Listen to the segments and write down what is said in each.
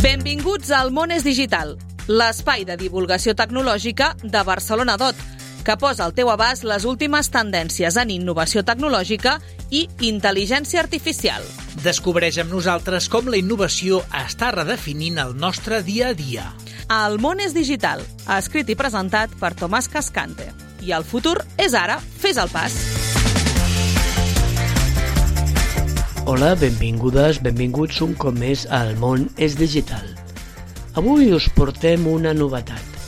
Benvinguts al Món és Digital, l'espai de divulgació tecnològica de Barcelona DOT, que posa al teu abast les últimes tendències en innovació tecnològica i intel·ligència artificial. Descobreix amb nosaltres com la innovació està redefinint el nostre dia a dia. El Món és Digital, escrit i presentat per Tomàs Cascante. I el futur és ara, fes el pas. Hola, benvingudes, benvinguts un cop més al Món és Digital. Avui us portem una novetat.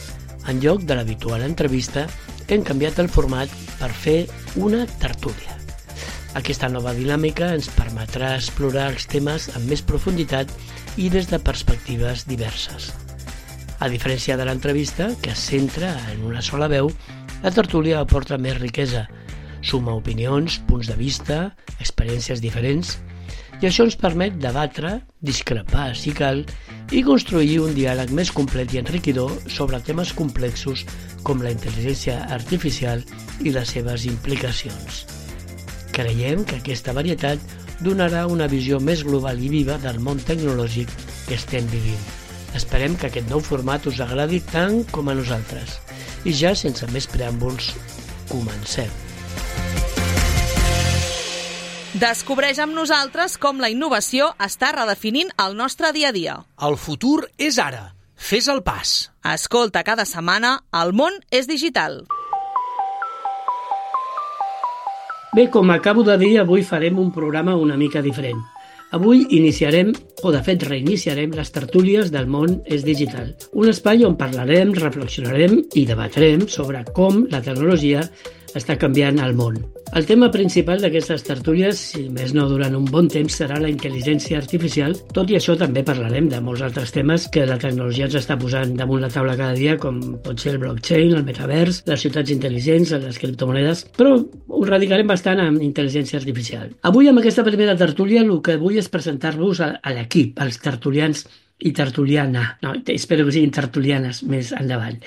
En lloc de l'habitual entrevista, hem canviat el format per fer una tertúlia. Aquesta nova dinàmica ens permetrà explorar els temes amb més profunditat i des de perspectives diverses. A diferència de l'entrevista, que es centra en una sola veu, la tertúlia aporta més riquesa, suma opinions, punts de vista, experiències diferents, i això ens permet debatre, discrepar si cal i construir un diàleg més complet i enriquidor sobre temes complexos com la intel·ligència artificial i les seves implicacions. Creiem que aquesta varietat donarà una visió més global i viva del món tecnològic que estem vivint. Esperem que aquest nou format us agradi tant com a nosaltres. I ja, sense més preàmbuls, comencem. Descobreix amb nosaltres com la innovació està redefinint el nostre dia a dia. El futur és ara. Fes el pas. Escolta cada setmana El Món és Digital. Bé, com acabo de dir, avui farem un programa una mica diferent. Avui iniciarem, o de fet reiniciarem, les tertúlies del Món és Digital. Un espai on parlarem, reflexionarem i debatrem sobre com la tecnologia està canviant el món. El tema principal d'aquestes tertúlies, si més no durant un bon temps, serà la intel·ligència artificial. Tot i això també parlarem de molts altres temes que la tecnologia ens està posant damunt la taula cada dia, com pot ser el blockchain, el metavers, les ciutats intel·ligents, les criptomonedes, però ho radicarem bastant en intel·ligència artificial. Avui, amb aquesta primera tertúlia, el que vull és presentar-vos a l'equip, als tertulians i tertuliana. No, espero que siguin tertulianes més endavant.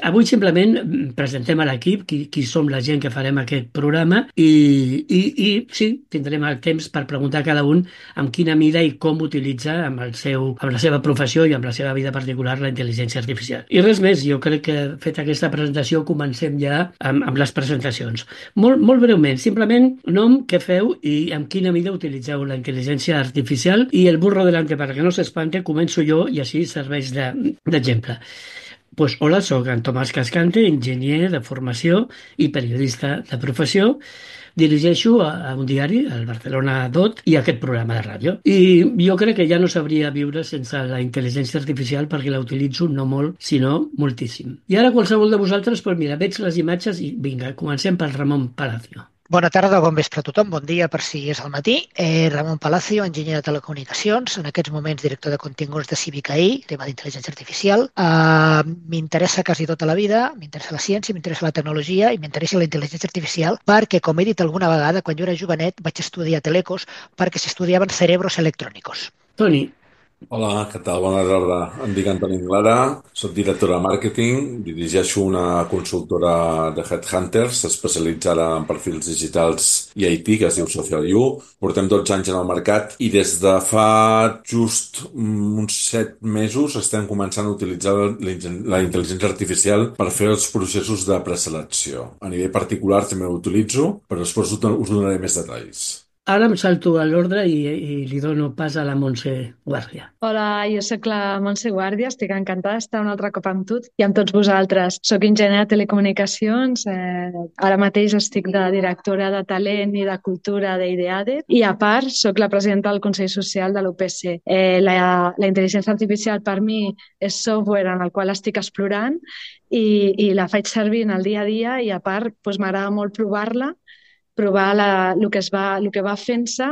Avui simplement presentem a l'equip qui som la gent que farem aquest programa i sí, tindrem el temps per preguntar a cada un amb quina mida i com utilitza amb la seva professió i amb la seva vida particular la intel·ligència artificial. I res més, jo crec que fet aquesta presentació comencem ja amb les presentacions. Molt breument, simplement nom, què feu i amb quina mida utilitzeu la intel·ligència artificial i el burro delante perquè no s'espante. Començo jo i així serveix d'exemple. Pues, hola, soc en Tomàs Cascante, enginyer de formació i periodista de professió. Dirigeixo a un diari, el Barcelona DOT, i aquest programa de ràdio. I jo crec que ja no sabria viure sense la intel·ligència artificial perquè la utilitzo no molt, sinó moltíssim. I ara qualsevol de vosaltres, pues mira, veig les imatges i vinga, comencem pel Ramon Palacio. Bona tarda, bon vespre a tothom, bon dia per si és al matí. Ramon Palacio, enginyer de telecomunicacions, en aquests moments director de continguts de Civic AI, tema d'intel·ligència artificial. M'interessa quasi tota la vida, m'interessa la ciència, m'interessa la tecnologia i m'interessa la intel·ligència artificial perquè, com he dit alguna vegada, quan jo era jovenet vaig estudiar Telecos perquè s'estudiaven cerebros electrònicos. Toni. Hola, què tal? Bona tarda. Em dic Antoni Anglada, soc directora de màrqueting, dirigeixo una consultora de headhunters especialitzada en perfils digitals i IT, que es diu SocialU. Portem 12 anys en el mercat i des de fa just uns 7 mesos estem començant a utilitzar la intel·ligència artificial per fer els processos de preselecció. A nivell particular també ho utilitzo, però després us donaré més detalls. Ara em salto a l'ordre i li dono pas a la Montse Guàrdia. Hola, jo sóc la Montse Guàrdia, estic encantada d'estar un altre cop amb tu i amb tots vosaltres. Soc enginyer de telecomunicacions, ara mateix estic de directora de talent i de cultura d'Ideade i a part soc la presidenta del Consell Social de l'UPC. La intel·ligència artificial per mi és software en el qual estic explorant i la faig servir en el dia a dia i a part m'agrada molt provar el que va fent-se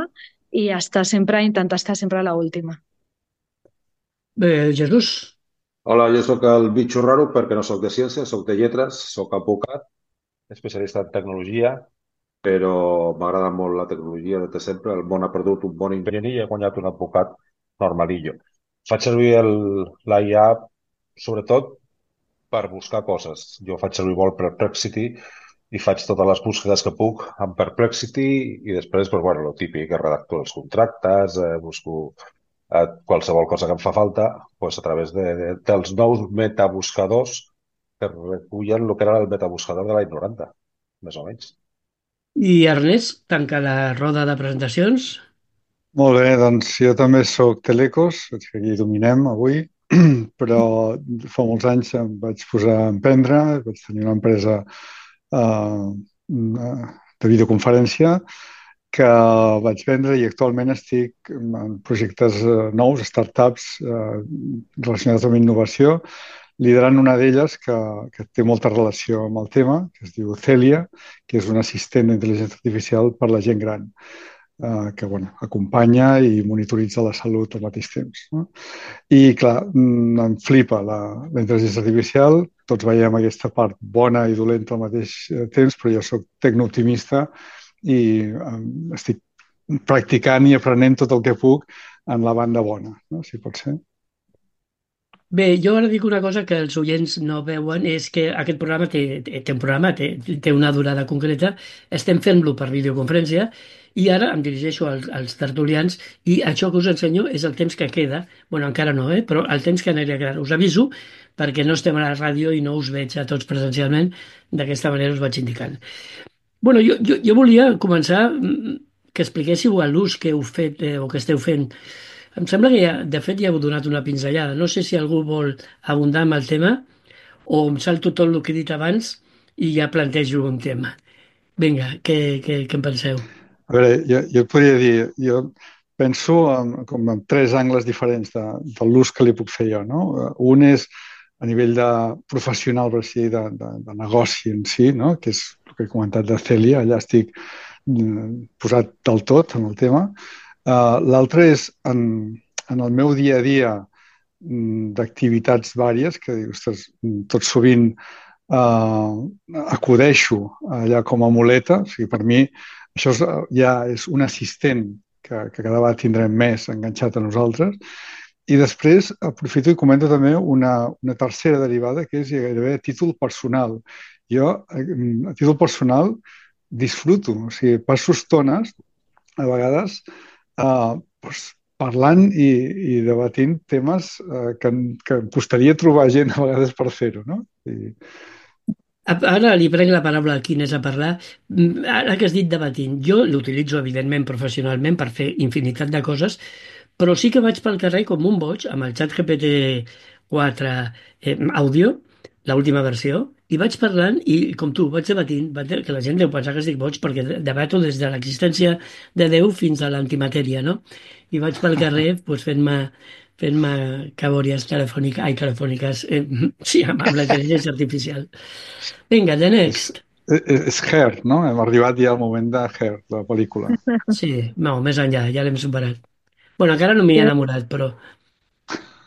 i intentar estar sempre a l'última. Bé, Jesús. Hola, jo sóc el bitxo raro perquè no sóc de ciència, sóc de lletres, sóc advocat, especialista en tecnologia, però m'agrada molt la tecnologia des de sempre. El món ha perdut un bon enginyer i ha guanyat un advocat normalillo. Faig servir l'IA sobretot per buscar coses. Jo faig servir molt Perplexity i faig totes les búsquedes que puc amb Perplexity i després, lo típic, redacto els contractes, busco qualsevol cosa que em fa falta, doncs a través dels nous metabuscadors que recullen el que era el metabuscador de l'any 90, més o menys. I Ernest, tanca la roda de presentacions. Molt bé, doncs jo també sóc Telecos, veig que aquí dominem avui, però fa molts anys em vaig posar a emprendre, vaig tenir una empresa de videoconferència que vaig vendre i actualment estic en projectes nous, startups relacionats amb innovació, liderant una d'elles que té molta relació amb el tema, que es diu Celia, que és un assistent d'intel·ligència artificial per la gent gran, que acompanya i monitoritza la salut al mateix temps. No? I, clar, em flipa la intel·ligència artificial, tots veiem aquesta part bona i dolenta al mateix temps, però jo sóc tecnooptimista i estic practicant i aprenent tot el que puc en la banda bona, no? Si pot ser. Bé, jo ara dic una cosa que els oients no veuen, és que aquest programa té una durada concreta, estem fent-lo per videoconferència i ara em dirigeixo als tertulians i això que us ensenyo és el temps que queda, encara no, però el temps que anirà quedant. Us aviso perquè no estem a la ràdio i no us veig a tots presencialment, d'aquesta manera us vaig indicant. Jo volia començar que expliquéssiu l'ús que heu fet o que esteu fent. Em sembla que de fet ja heu donat una pinzellada. No sé si algú vol abundar amb el tema o em salto tot el que he dit abans i ja plantejo un tema. Vinga, què en penseu? A veure, jo podria dir, jo penso com en tres angles diferents de l'ús que li puc fer jo. No? Un és a nivell de professional, per així, de negoci en si, no? Que és el que he comentat de Celia, allà estic posat del tot en el tema. L'altre és en el meu dia a dia d'activitats vàries, que ostres, tot sovint acudeixo allà com a muleta, o sigui, per mi això ja és un assistent que cada vegada tindrem més enganxat a nosaltres. I després aprofito i comento també una tercera derivada, que és gairebé a títol personal. Jo, a títol personal, disfruto, o sigui, passo estones, a vegades, parlant i debatint temes que em costaria trobar gent a vegades per fer-ho, no? Ara li prenc la paraula a Quines a parlar. Ara que has dit debatint, jo l'utilitzo evidentment professionalment per fer infinitat de coses, però sí que vaig pel carrer com un boig amb el xat GPT-4 àudio, l'última versió, i vaig parlant i, com tu, vaig debatint, que la gent deu pensar que estic boig perquè debato des de l'existència de Déu fins a l'antimatèria, no? I vaig pel carrer fent-me cabòries telefòniques, sí, amb la intel·ligència artificial. Vinga, the next. És Her, no? Hem arribat ja al moment de Her, la pel·lícula. Sí, no, més enllà, ja l'hem superat. Encara no m'hi he enamorat, però...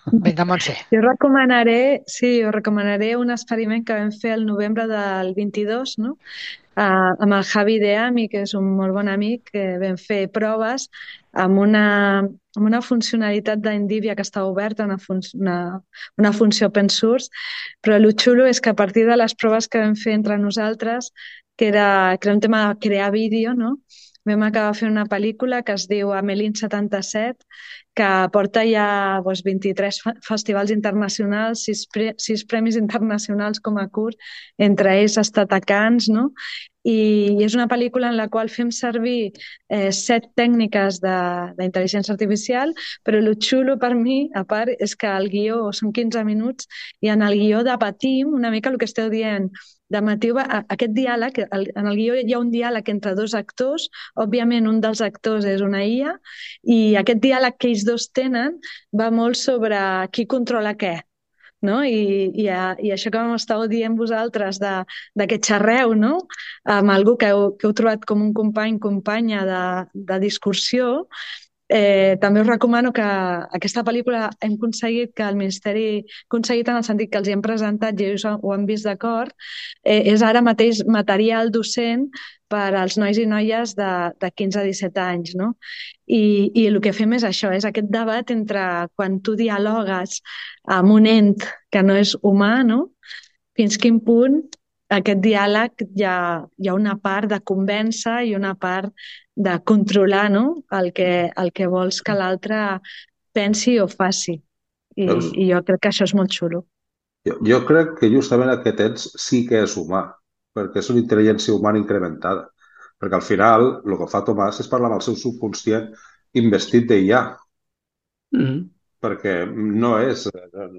Vinga, Montse. Jo recomanaré un experiment que vam fer el novembre del 22, no? Amb el Javi Deami, que és un molt bon amic, que vam fer proves amb una funcionalitat d'Endivia que està oberta, una funció open source, però el xulo és que a partir de les proves que vam fer entre nosaltres, que era un tema de crear vídeo, no? Vam acabar fent una pel·lícula que es diu Amelín 77, que porta ja 23 festivals internacionals, 6 premis internacionals com a curt, entre ells Estatacans, no? I és una pel·lícula en la qual fem servir 7 tècniques d'intel·ligència artificial, però el xulo per mi, a part, és que el guió són 15 minuts i en el guió debatim una mica el que esteu dient. Debatiu aquest diàleg, en el guió hi ha un diàleg entre 2 actors, òbviament un dels actors és una IA, i aquest diàleg que ells dos tenen va molt sobre qui controla què. No? I això que m'estàveu dient vosaltres de que xerreu, no? Amb algú que heu trobat com un companya de discussió, també us recomano que aquesta pel·lícula hem aconseguit que el Ministeri, aconseguit en el sentit que els hi hem presentat i ells ho han vist d'acord, és ara mateix material docent per als nois i noies de 15 a 17 anys, no? I el que fem és això, és aquest debat entre quan tu dialogues amb un ent que no és humà, no? Fins quin punt aquest diàleg hi ha una part de convèncer i una part de controlar, no? el que vols que l'altre pensi o faci. Veus? I jo crec que això és molt xulo. Jo crec que justament aquest ens sí que és humà, perquè és una intel·ligència humana incrementada. Perquè al final el que fa Tomàs és parlar amb el seu subconscient investit d'IA, Mm. perquè no és,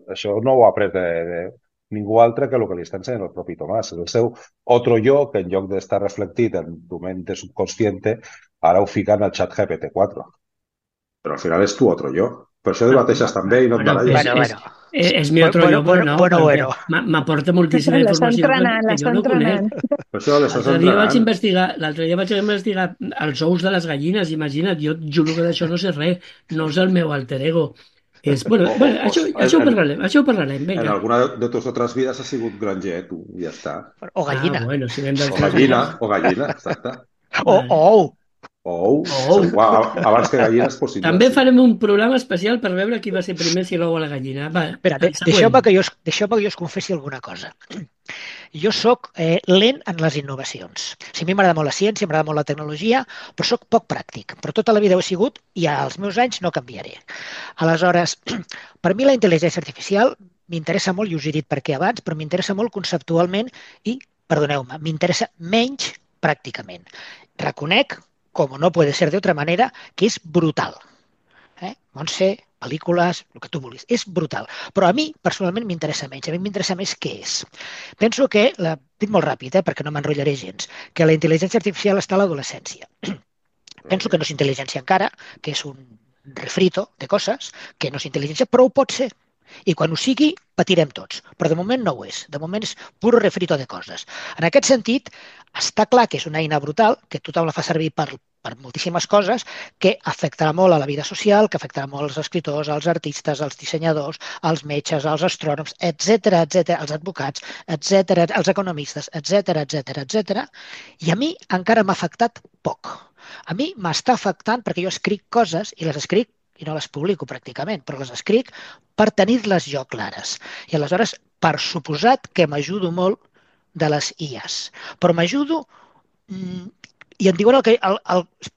això no ho ha après de ningú altre que el que li està ensenyant el propi Tomàs. És el seu otro yo, que en lloc d'estar reflectit en tu mente subconsciente, ara ho fica en el xat GPT-4. Però al final és tu otro yo. Per això debateixes també i no et baralles. És mi otro yo, però no, perquè m'aporta moltíssima L'està informació entrenant, que jo l'està no conec. entrenant. Per això l'estàs L'altre dia vaig investigar els ous de les gallines, imagina't, jo juro que d'això no sé res, no és el meu alter ego. Bueno, això ho parlarem, En vinga. alguna de tus otras vidas has sigut granger, tu, i ja està. O gallina. Bueno, si anem del O gallina, exacte. O ou. O abans que gallina és possible. També farem un programa especial per veure qui va ser primer, si l'ou o la gallina. Va, Espera, deixeu-me que jo us confessi alguna cosa. Jo sóc lent en les innovacions. A mi m'agrada molt la ciència, m'agrada molt la tecnologia, però sóc poc pràctic. Però tota la vida ho he sigut i als meus anys no canviaré. Aleshores, per mi la intel·ligència artificial m'interessa molt, i us he dit per què abans, però m'interessa molt conceptualment i, perdoneu-me, m'interessa menys pràcticament. Reconec, com no puede ser de otra manera, que és brutal. Montse, pel·lícules, el que tu vulguis. És brutal. Però a mi, personalment, m'interessa menys. A mi m'interessa més què és. Penso que, dit molt ràpid, perquè no m'enrotllaré gens, que la intel·ligència artificial està a l'adolescència. Penso que no és intel·ligència encara, que és un refrito de coses, que no és intel·ligència, però ho pot ser. I quan ho sigui, patirem tots. Però de moment no ho és. De moment és pur refrito de coses. En aquest sentit, està clar que és una eina brutal, que tothom la fa servir per moltíssimes coses, que afectarà molt a la vida social, que afectarà molt als escriptors, als artistes, als dissenyadors, als metges, als astrònoms, etc, als advocats, etc, als economistes, etc. I a mi encara m'ha afectat poc. A mi m'està afectant perquè jo escric coses i les escric i no les publico pràcticament, però les escric per tenir-les jo clares. I aleshores, per suposat que m'ajudo molt de les IAs. Però m'ajudo i em diuen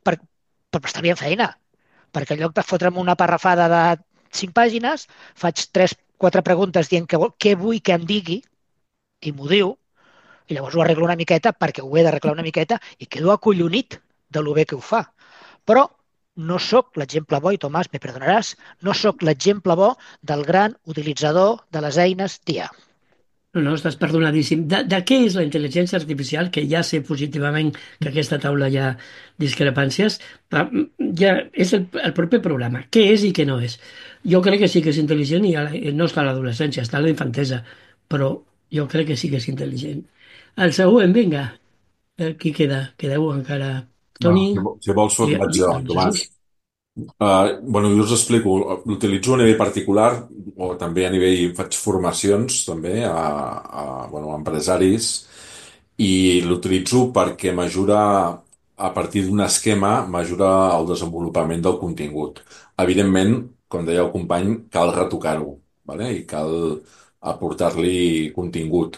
per estar feina. Perquè en lloc de fotre'm una parrafada de 5 pàgines, faig 3-4 preguntes dient què vull que em digui i m'ho diu, i llavors ho arreglo una miqueta perquè ho he d'arreglar una miqueta i quedo acollonit de lo bé que ho fa. Però no sóc l'exemple bo, i Tomàs, me perdonaràs, no sóc l'exemple bo del gran utilitzador de les eines d'IA. No, estàs perdonadíssim. De què és la intel·ligència artificial? Que ja sé positivament que aquesta taula hi ha discrepàncies. Ja és el proper programa. Què és i què no és? Jo crec que sí que és intel·ligent i no està a l'adolescència, està a la infantesa. Però jo crec que sí que és intel·ligent. El següent, vinga. Qui queda? Quedeu encara... Toni? Si vols, vaig jo, Tomàs. Jo us explico. L'utilitzo a nivell particular o també a nivell... Faig formacions també a empresaris i l'utilitzo perquè m'ajuda, a partir d'un esquema, m'ajuda al desenvolupament del contingut. Evidentment, com deia el company, cal retocar-ho, vale? I cal aportar-li contingut.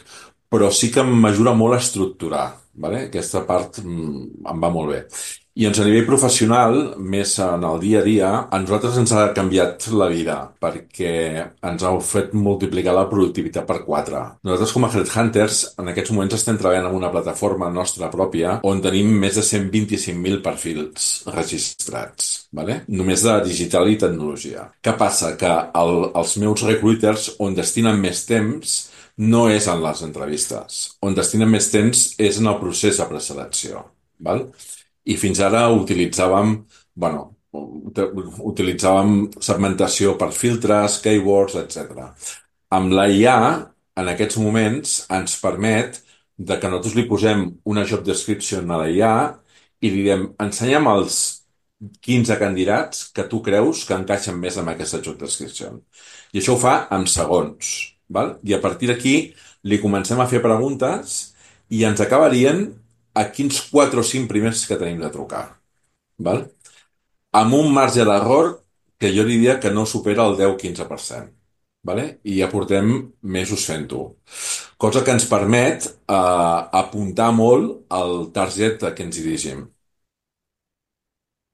Però sí que m'ajuda molt a estructurar, vale? Aquesta part em va molt bé. I a nivell professional, més en el dia a dia, a nosaltres ens ha canviat la vida perquè ens ha fet multiplicar la productivitat per 4. Nosaltres com a Headhunters en aquests moments estem treballant en una plataforma nostra pròpia on tenim més de 125.000 perfils registrats, vale? Només de digital i tecnologia. Què passa? Que els meus recruiters on destinen més temps no és en les entrevistes. On destinen més temps és en el procés de preselecció, val? I fins ara utilitzàvem segmentació per filtres, keywords, etc. Amb la IA, en aquests moments, ens permet de que nosaltres li posem una job description a la IA i li diem, ensenya'm els 15 candidats que tu creus que encaixen més amb aquesta job description. I això ho fa en segons, val? I a partir d'aquí li comencem a fer preguntes i ens acaba dient a quins 4 o 5 primers que tenim de trucar, val? Amb un marge d'error que jo diria que no supera el 10-15%, vale? I ja portem mesos fent-ho. Cosa que ens permet apuntar molt al target a què ens dirigim.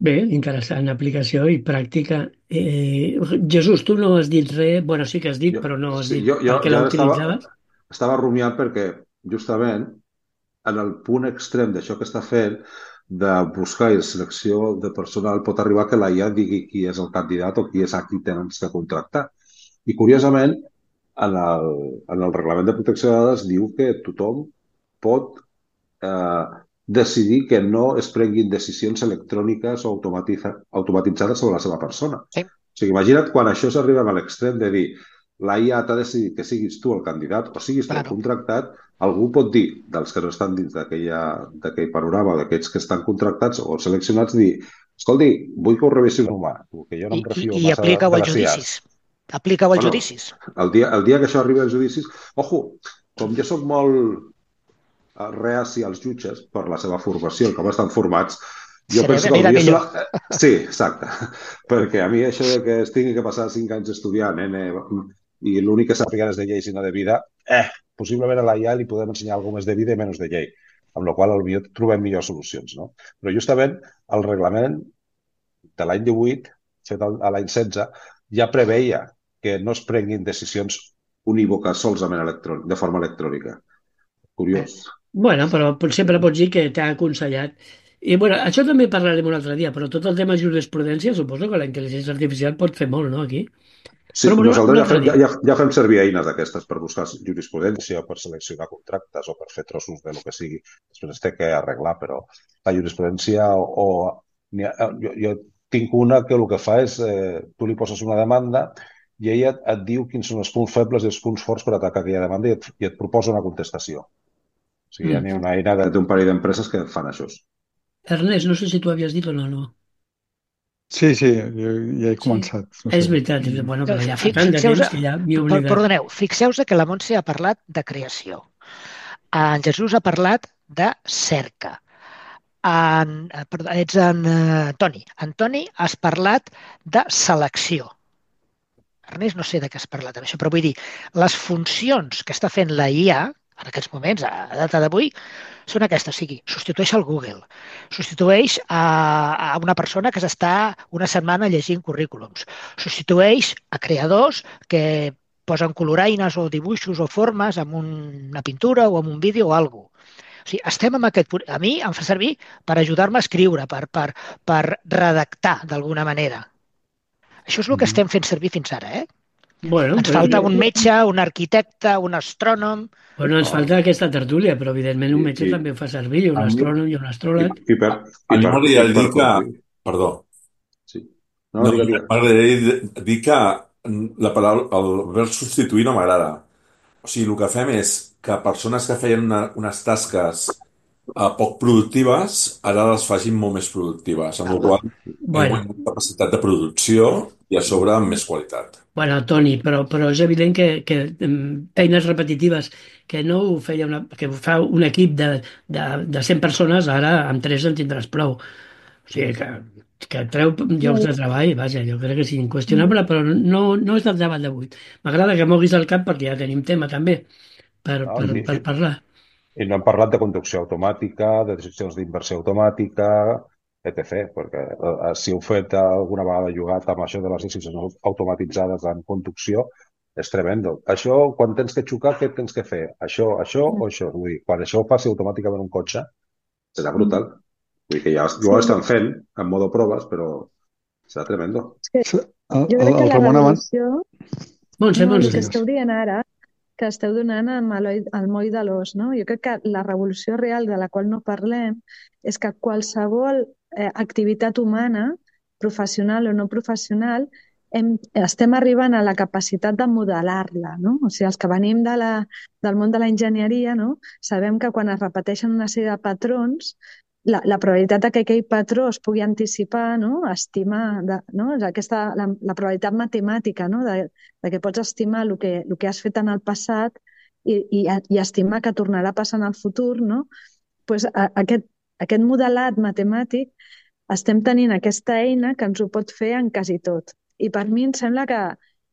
Bé, interessant, aplicació i pràctica. Jesús, tu no has dit res, bueno, sí que has dit, Jo, però no has sí, dit jo per què ja la estava, utilitzaves. estava rumiant perquè justament en el punt extrem d'això que està fent de buscar i selecció de personal pot arribar que la IA digui qui és el candidat o qui és a qui tens que contractar. I curiosament, en el reglament de protecció de dades diu que tothom pot eh, decidir que no es prenguin decisions electròniques o automatitzades sobre la seva persona. Sí. O sigui, imagina't quan això s'arriba a l'extrem de dir la IA t'ha decidit que siguis tu el candidat o siguis tu el Claro. contractat, algú pot dir, dels que no estan dins d'aquell panorama, d'aquests que estan contractats o seleccionats, dir, escolti, vull que ho revisi un humà, que jo no em refio I massa aplica-ho de als les IAs. judicis. Aplica-ho als Bueno, judicis. el dia que això arribi als judicis, ojo, com jo sóc molt reaci als jutges per la seva formació i com estan formats, jo penso que Anirà hauria de ser millor. Sí, exacte. Perquè a mi això de que es tingui que passar 5 anys estudiant i l'únic que sàpiguen és de lleis i no de vida, possiblement a la IA li podem ensenyar alguna més de vida i menys de llei, amb la qual cosa trobem millors solucions. No? Però justament el reglament de l'any 18, fet a l'any 16, ja preveia que no es prenguin decisions unívoques solament de forma electrònica. Curiós. Bueno, però sempre pots dir que t'ha aconsellat. I bueno, això també parlarem un altre dia, però tot el tema jurisprudència, suposo que la intel·ligència artificial pot fer molt, no, aquí? Sí, Però bueno, un nosaltres altre dia. ja fem servir eines d'aquestes per buscar jurisprudència, per seleccionar contractes o per fer trossos de lo que sigui. Després es té que arreglar, però la jurisprudència jo tinc una que el que fa és tu li poses una demanda i ella et diu quins són els punts febles i els punts forts per atacar aquella demanda i et proposa una contestació. O sigui, hi ha una eina d'un parell d'empreses que fan això. Ernest, no sé si tu havies dit o no, no. Sí, jo ja he Sí, començat. No és sé. veritat, bueno, però ja fa tant de Fixeu-vos, temps que ja m'he oblidat. perdoneu, fixeu-vos que la Montse ha parlat de creació. En Jesús ha parlat de cerca. Ets en Toni. En Toni has parlat de selecció. Ernest, no sé de què has parlat amb això, però vull dir, les funcions que està fent la IA en aquests moments, a data d'avui, són aquestes. O sigui, substitueix el Google, substitueix a una persona que s'està una setmana llegint currículums, substitueix a creadors que posen coloraines o dibuixos o formes amb una pintura o amb un vídeo o alguna cosa. O sigui, estem amb aquest punt. A mi em fa servir per ajudar-me a escriure, per redactar d'alguna manera. Això és el que estem fent servir fins ara, eh? Bueno, Ens falta un metge, un arquitecte, un astrònom. bueno, ens falta aquesta tertúlia, però evidentment un metge I també ho fa servir, un a mi, astrònom i un astròleg. A mi m'agradaria dir que... complir. Perdó. Sí. No, No, digue. m'agradaria dir que la paraula, el verb substituir no m'agrada. O sigui, el que fem és que persones que feien unes tasques poc productives, ara les facin molt més productives, amb la qual cosa Bueno, guanyem capacitat de producció i a sobre amb més qualitat. bueno, Toni, però és evident que feines repetitives que no ho feia que ho fa un equip de 100 persones, ara amb 3 en tindràs prou. O sigui que treu llocs de treball, vaja, jo crec que és inqüestionable, però no és del debat d'avui. M'agrada que moguis el cap perquè ja tenim tema també No? per parlar. I no hem parlat de conducció automàtica, de decisions d'inversió automàtica, etc. Perquè si heu fet alguna vegada jugat amb això de les decisions automatitzades en conducció, és tremendo. Això, quan tens que xocar, què tens que fer? Això o això? Vull dir, quan això ho passi automàticament un cotxe, serà brutal. Vull dir que ja ho estan fent en modo proves, però serà tremendo. Jo crec que la Ramon abans... revolució... Montse, No, el que Montse. esteu dient ara, que esteu donant al moll de l'os, no? Jo crec que la revolució real de la qual no parlem és que qualsevol activitat humana, professional o no professional, estem arribant a la capacitat de modelar-la, no? O sigui, els que venim del món de la enginyeria, no? Sabem que quan es repeteixen una sèrie de patrons, la probabilitat que aquell patró es pugui anticipar, no? Estimar, no? És la probabilitat matemàtica, no? De que pots estimar el que has fet en el passat i estimar que tornarà a passar en el futur, no? Pues aquest modelat matemàtic estem tenint aquesta eina que ens ho pot fer en quasi tot. I per mi em sembla que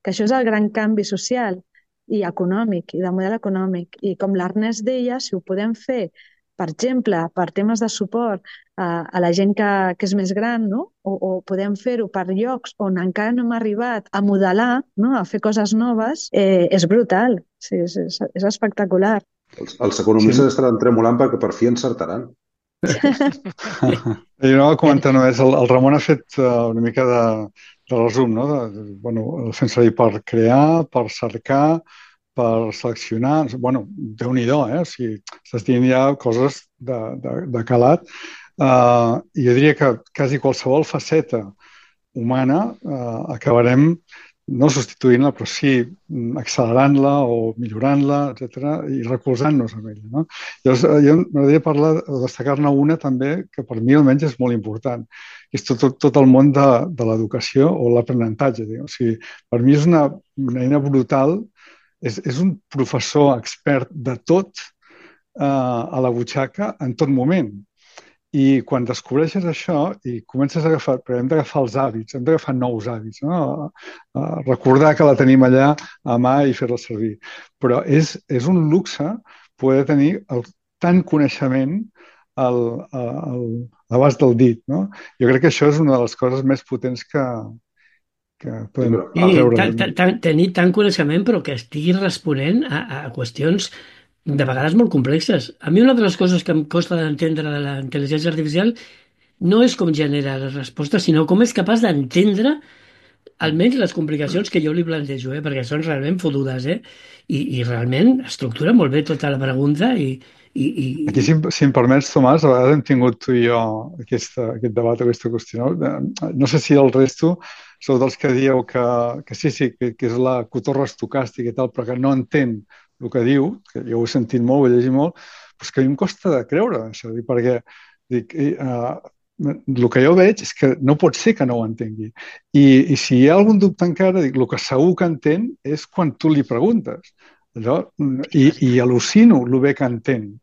això és el gran canvi social i econòmic, i de model econòmic. I com l'Ernest deia, si ho podem fer per exemple, per temes de suport a la gent que és més gran, no? O podem fer-ho per llocs on encara no hem arribat a modelar, no? A fer coses noves, és brutal, sí, és espectacular. Els economistes estaran tremolant perquè per fi encertaran. Jo no ho comentar només, el Ramon ha fet una mica de resum, no? El fem servir per crear, per cercar, per seleccionar. Bueno, Déu-n'hi-do, o sigui, estàs dient ja coses de calat. I jo diria que quasi qualsevol faceta humana acabarem no substituint-la, però sí accelerant-la o millorant-la, etc., i recolzant-nos amb ella. No? Llavors, jo m'agradaria destacar-ne una també que per mi almenys és molt important, que és tot el món de l'educació o l'aprenentatge. O sigui, per mi és una eina brutal, és un professor expert de tot a la butxaca en tot moment. I quan descobreixes això i comences a agafar, però hem d'agafar els hàbits, hem d'agafar nous hàbits, no? Recordar que la tenim allà a mà i fer-la servir. Però és un luxe poder tenir tant coneixement a l'abast del dit, no? Jo crec que això és una de les coses més potents que podem treure. Tenir tant coneixement però que estigui responent a qüestions de vegades molt complexes. A mi una de les coses que em costa d'entendre de la intel·ligència artificial no és com genera les respostes, sinó com és capaç d'entendre almenys les complicacions que jo li plantejo, perquè són realment fotudes, i realment estructura molt bé tota la pregunta i... Aquí, si em permets, Tomàs, a vegades hem tingut tu i jo aquest debat, aquesta qüestió. No sé si el resto sou dels que dieu que sí, que és la cotorra estocàstica i tal, però que no entén el que diu, que jo ho he sentit molt, ho he llegit molt, però és que a mi em costa de creure això, perquè el que jo veig és que no pot ser que no ho entengui. I si hi ha algun dubte encara, el que segur que entén és quan tu li preguntes. I al·lucino el bé que entén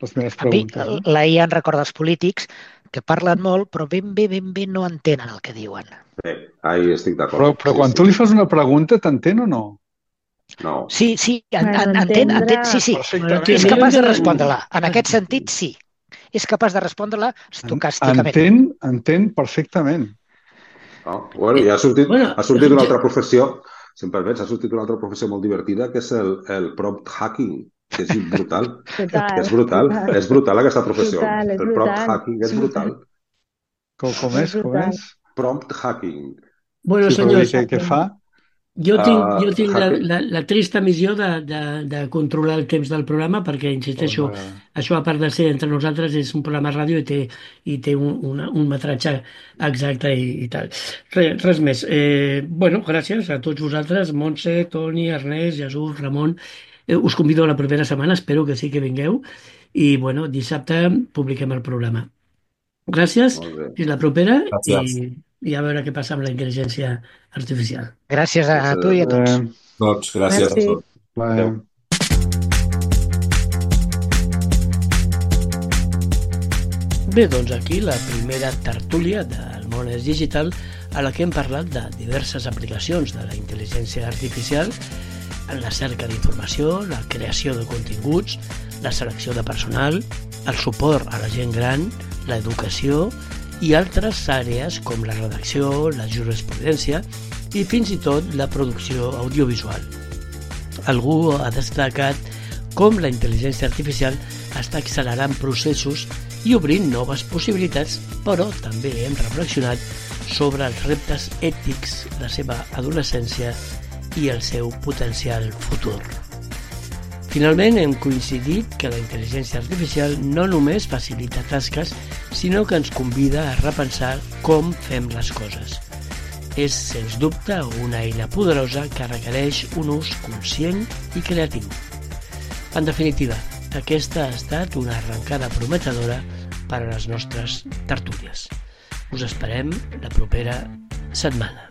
les meves preguntes. A mi, la IA en recorda els polítics que parlen molt, però ben bé no entenen el que diuen. Ahí estic d'acord. Però quan tu li fas una pregunta, t'entén o no? No. Sí, entén, sí. És capaç de respondre-la. En aquest sentit, sí. És capaç de respondre-la estocàsticament. Entén perfectament. Bueno, ja ha sortit una altra professió, si em permets, ha sortit una altra professió molt divertida, que és el prompt hacking, que és brutal. És brutal aquesta professió. El prompt hacking és brutal. Com és? Prompt hacking. Bueno, senyors, què fa? Jo tinc la trista missió de controlar el temps del programa perquè, insisteixo, això a part de ser entre nosaltres és un programa de ràdio i té un metratge exacte i tal. Res més. Bueno, gràcies a tots vosaltres, Montse, Toni, Ernest, Jesús, Ramon. Us convido a la propera setmana, espero que sí que vingueu i, bueno, dissabte publiquem el programa. Gràcies, fins la propera i a veure què passa amb la intel·ligència artificial. Gràcies a tu i a tots. Doncs gràcies a tots. Bé, doncs aquí la primera tertúlia del món és digital a la que hem parlat de diverses aplicacions de la intel·ligència artificial en la cerca d'informació, la creació de continguts, la selecció de personal, el suport a la gent gran, l'educació i altres àrees com la redacció, la jurisprudència i fins i tot la producció audiovisual. Algú ha destacat com la intel·ligència artificial està accelerant processos i obrint noves possibilitats, però també hem reflexionat sobre els reptes ètics, la seva adolescència i el seu potencial futur. Finalment, hem coincidit que la intel·ligència artificial no només facilita tasques, sinó que ens convida a repensar com fem les coses. És, sens dubte, una eina poderosa que requereix un ús conscient i creatiu. En definitiva, aquesta ha estat una arrencada prometedora per a les nostres tertúlies. Us esperem la propera setmana.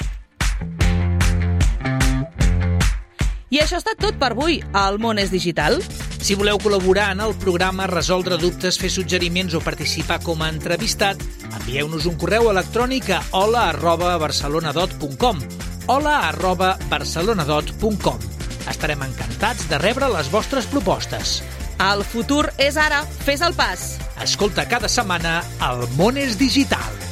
I això ha estat tot per avui al Món és Digital. Si voleu col·laborar en el programa, resoldre dubtes, fer suggeriments o participar com a entrevistat, envieu-nos un correu electrònic a hola@barcelonadot.com hola@barcelonadot.com. Estarem encantats de rebre les vostres propostes. El futur és ara. Fes el pas. Escolta cada setmana El món és digital.